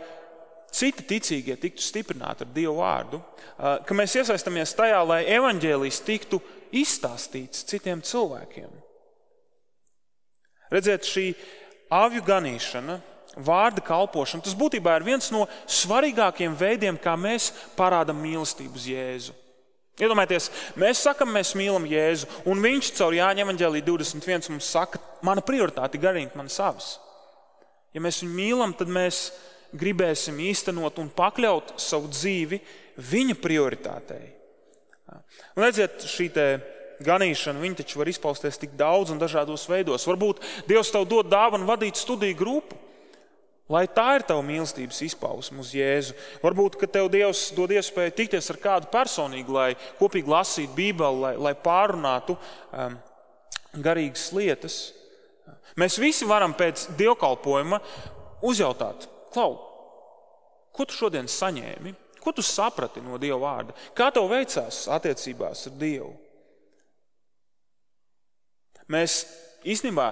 citi ticīgie tiktu stiprināti ar Dievu vārdu, ka mēs iesaistamies tajā, lai evaņģēlijs tiktu izstāstīts citiem cilvēkiem. Redziet, šī avju ganīšana, vārda kalpošana, tas būtībā ir viens no svarīgākiem veidiem, kā mēs parādam mīlestību uz Jēzu. Iedomājieties, mēs sakam, mēs mīlam Jēzu, un viņš caur Jāņa evaņģēlija 21 mums saka, mana prioritāte ganīt manas avis. Ja mēs viņu mīlam, tad mēs gribēsim īstenot un pakļaut savu dzīvi viņa prioritātei. Un redziet, šī te ganīšana, viņa taču var izpausties tik daudz un dažādos veidos. Varbūt Dievs tev dod dāvanu vadīt studiju grupu, lai tā ir tava mīlestības izpausme uz Jēzu. Varbūt, ka tev Dievs dod iespēju tikties ar kādu personīgi, lai kopīgi lasītu Bībeli, lai pārunātu garīgas lietas. Mēs visi varam pēc dievkalpojuma uzjautāt, Klau, ko tu šodien saņēmi? Ko tu saprati no Dieva vārda? Kā tev veicās attiecībās ar Dievu? Mēs īstenībā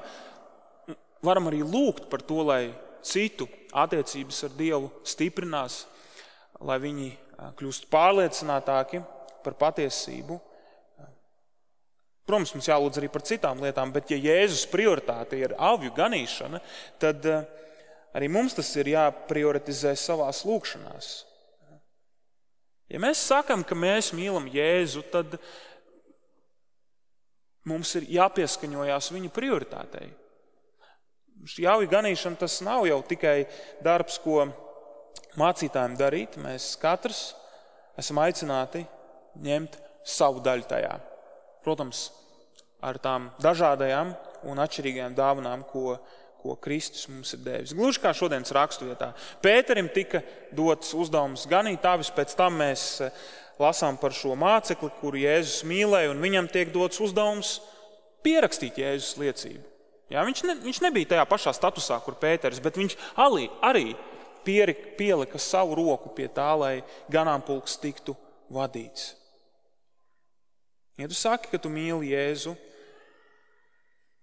varam arī lūgt par to, lai citu attiecības ar Dievu stiprinās, lai viņi kļūst pārliecinātāki par patiesību. Protams, mums jālūdz arī par citām lietām, bet ja Jēzus prioritāte ir avju ganīšana, tad arī mums tas ir jāprioritizē savās lūkšanās. Ja mēs sakam, ka mēs mīlam Jēzu, tad mums ir jāpieskaņojās viņa prioritātei. Šī avju ganīšana tas nav jau tikai darbs, ko mācītājiem darīt. Mēs katrs esam aicināti ņemt savu daļu tajā. Protams, ar tām dažādajām un atšķirīgajām dāvanām, ko Kristus mums ir devis. Gluži kā šodienas raksturvietā. Pēterim tika dots uzdevums ganīt avis, pēc tam mēs lasām par šo mācekli, kuru Jēzus mīlēja, un viņam tiek dots uzdevums pierakstīt Jēzus liecību. Jā, viņš nebija tajā pašā statusā, kur Pēteris, bet viņš arī pielika savu roku pie tā, lai ganāmpulks tiktu vadīts. Ja tu saki, ka tu mīli Jēzu,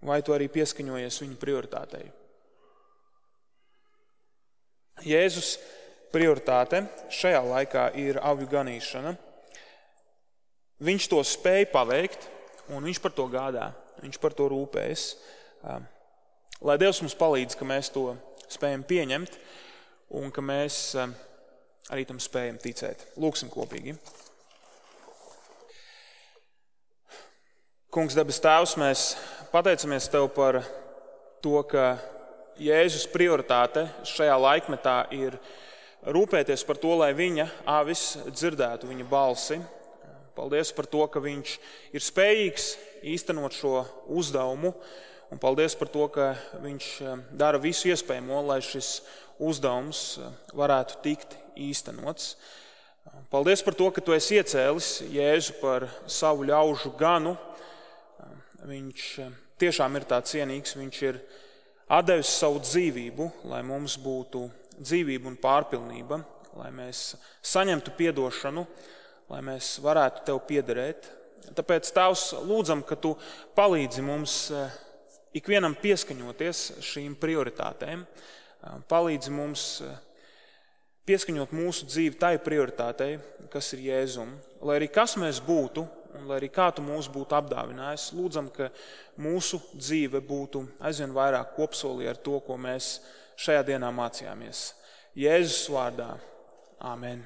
vai tu arī pieskaņojies viņa prioritātei? Jēzus prioritāte šajā laikā ir avju ganīšana. Viņš to spēja paveikt, un viņš par to gādā, viņš par to rūpējas. Lai Dievs mums palīdz, ka mēs to spējam pieņemt, un ka mēs arī tam spējam ticēt. Lūksim kopīgi. Kungs, debes Tēvs, mēs pateicamies Tev par to, ka Jēzus prioritāte šajā laikmetā ir rūpēties par to, lai viņa avis dzirdētu viņa balsi. Paldies par to, ka viņš ir spējīgs īstenot šo uzdevumu, un paldies par to, ka viņš dara visu iespējamo, lai šis uzdevums varētu tikt īstenots. Paldies par to, ka Tu esi iecēlis Jēzu par savu ļaužu ganu. Viņš tiešām ir tā cienīgs, viņš ir atdevis savu dzīvību, lai mums būtu dzīvība un pārpilnība, lai mēs saņemtu piedošanu, lai mēs varētu Tev piederēt. Tāpēc, Tēvs, lūdzam, ka Tu palīdzi mums ikvienam pieskaņoties šīm prioritātēm, palīdzi mums pieskaņot mūsu dzīvi tai prioritātei, kas ir Jēzum, lai arī kas mēs būtu, un lai arī kā Tu mūs būtu apdāvinājis, lūdzam, ka mūsu dzīve būtu aizvien vairāk kopsolī ar to, ko mēs šajā dienā mācījāmies. Jēzus vārdā. Āmen.